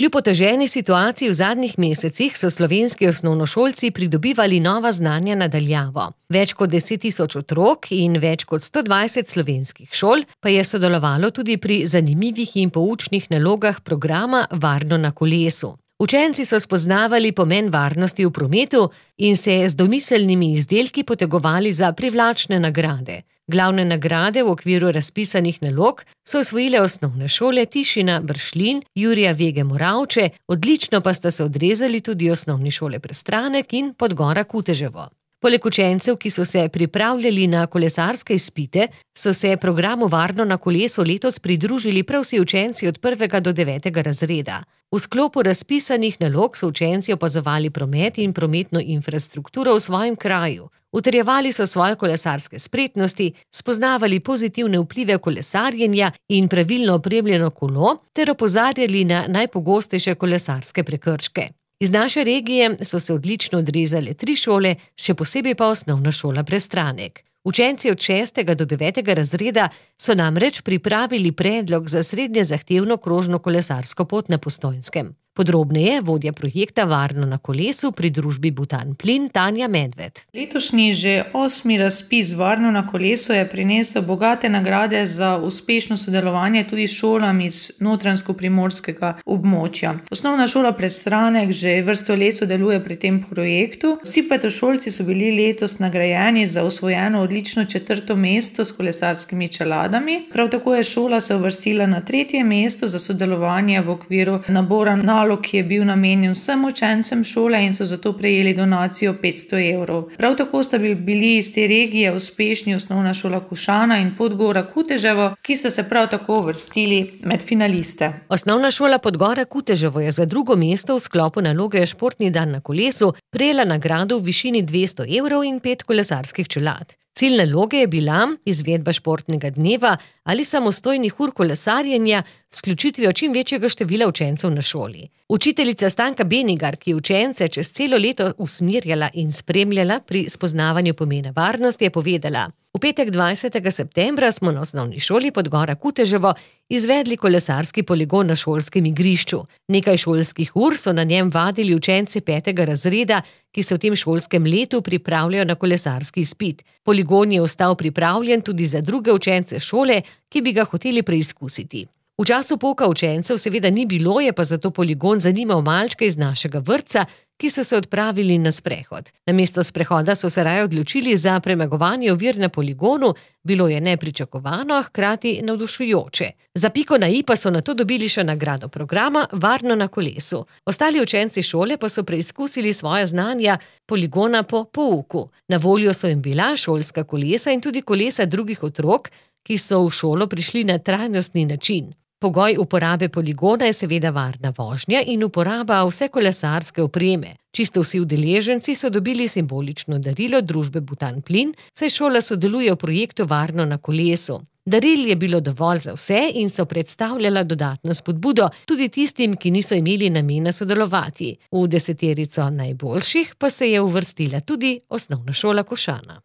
Kljub oteženi situaciji v zadnjih mesecih so slovenski osnovnošolci pridobivali nova znanja na daljavo. Več kot 10 tisoč otrok in več kot 120 slovenskih šol pa je sodelovalo tudi pri zanimivih in poučnih nalogah programa Varno na kolesu. Učenci so spoznavali pomen varnosti v prometu in se z domiselnimi izdelki potegovali za privlačne nagrade. Glavne nagrade v okviru razpisanih nalog so osvojile osnovne šole Tišina Bršljin, Jurija Vege Moravče, odlično pa sta se odrezali tudi osnovni šole Prestranek in Podgora Kuteževo. Poleg učencev, ki so se pripravljali na kolesarske izpite, so se programu Varno na kolesu letos pridružili prav vsi učenci od 1. do 9. razreda. V sklopu razpisanih nalog so učenci opazovali promet in prometno infrastrukturo v svojem kraju. Utrjevali so svoje kolesarske spretnosti, spoznavali pozitivne vplive kolesarjenja in pravilno opremljeno kolo ter opozarjali na najpogostejše kolesarske prekrške. Iz naše regije so se odlično odrezale 3 šole, še posebej pa osnovna šola Prestranek. Učenci od 6. do 9. razreda so namreč pripravili predlog za srednje zahtevno krožno kolesarsko pot na Postojnskem. Podrobneje vodja projekta Varno na kolesu pri družbi Butan Plin Tanja Medved. Letošnji že 8. razpis Varno na kolesu je prinesel bogate nagrade za uspešno sodelovanje tudi šolam iz notranjsko-primorskega območja. Osnovna šola Prestranek že vrsto let sodeluje pri tem projektu. Vsi petošolci so bili letos nagrajeni za osvojeno odlično 4. mesto s kolesarskimi čeladami. Prav tako je šola se uvrstila na 3. mesto za sodelovanje v okviru nabora nalog, ki je bil namenjen vsem učencem šole in so zato prejeli donacijo 500 evrov. Prav tako sta bili iz te regije uspešni osnovna šola Košana in Podgora Kuteževo, ki sta se prav tako uvrstili med finaliste. Osnovna šola Podgora Kuteževo je za 2. mesto v sklopu naloge Športni dan na kolesu prejela nagrado v višini 200 evrov in 5 kolesarskih čelad. Cilj naloge je bila izvedba športnega dneva ali samostojnih ur kolesarjenja s vključitvijo čim večjega števila učencev na šoli. Učiteljica Stanka Benigar, ki je učence čez celo leto usmerjala in spremljala pri spoznavanju pomena varnosti, je povedala: V petek 20. septembra smo na osnovni šoli Podgora Kuteževo izvedli kolesarski poligon na šolskem igrišču. Nekaj šolskih ur so na njem vadili učenci 5. razreda, ki se v tem šolskem letu pripravljajo na kolesarski izpit. Poligon je ostal pripravljen tudi za druge učence šole, ki bi ga hoteli preizkusiti. V času pouka učencev seveda ni bilo, je pa zato poligon zanimal malčke iz našega vrtca, ki so se odpravili na sprehod. Namesto sprehoda so se raje odločili za premagovanje ovir na poligonu, bilo je nepričakovano, a hkrati navdušujoče. Za piko na i pa so nato dobili še nagrado programa Varno na kolesu. Ostali učenci šole pa so preizkusili svoja znanja poligona po pouku. Na voljo so jim bila šolska kolesa in tudi kolesa drugih otrok, ki so v šolo prišli na trajnostni način. Pogoj uporabe poligona je seveda varna vožnja in uporaba vse kolesarske opreme. Čisto vsi udeleženci so dobili simbolično darilo družbe Butan Plin, saj šola sodeluje v projektu Varno na kolesu. Daril je bilo dovolj za vse in so predstavljala dodatno spodbudo tudi tistim, ki niso imeli namena sodelovati. V 10 najboljših pa se je uvrstila tudi osnovna šola Košana.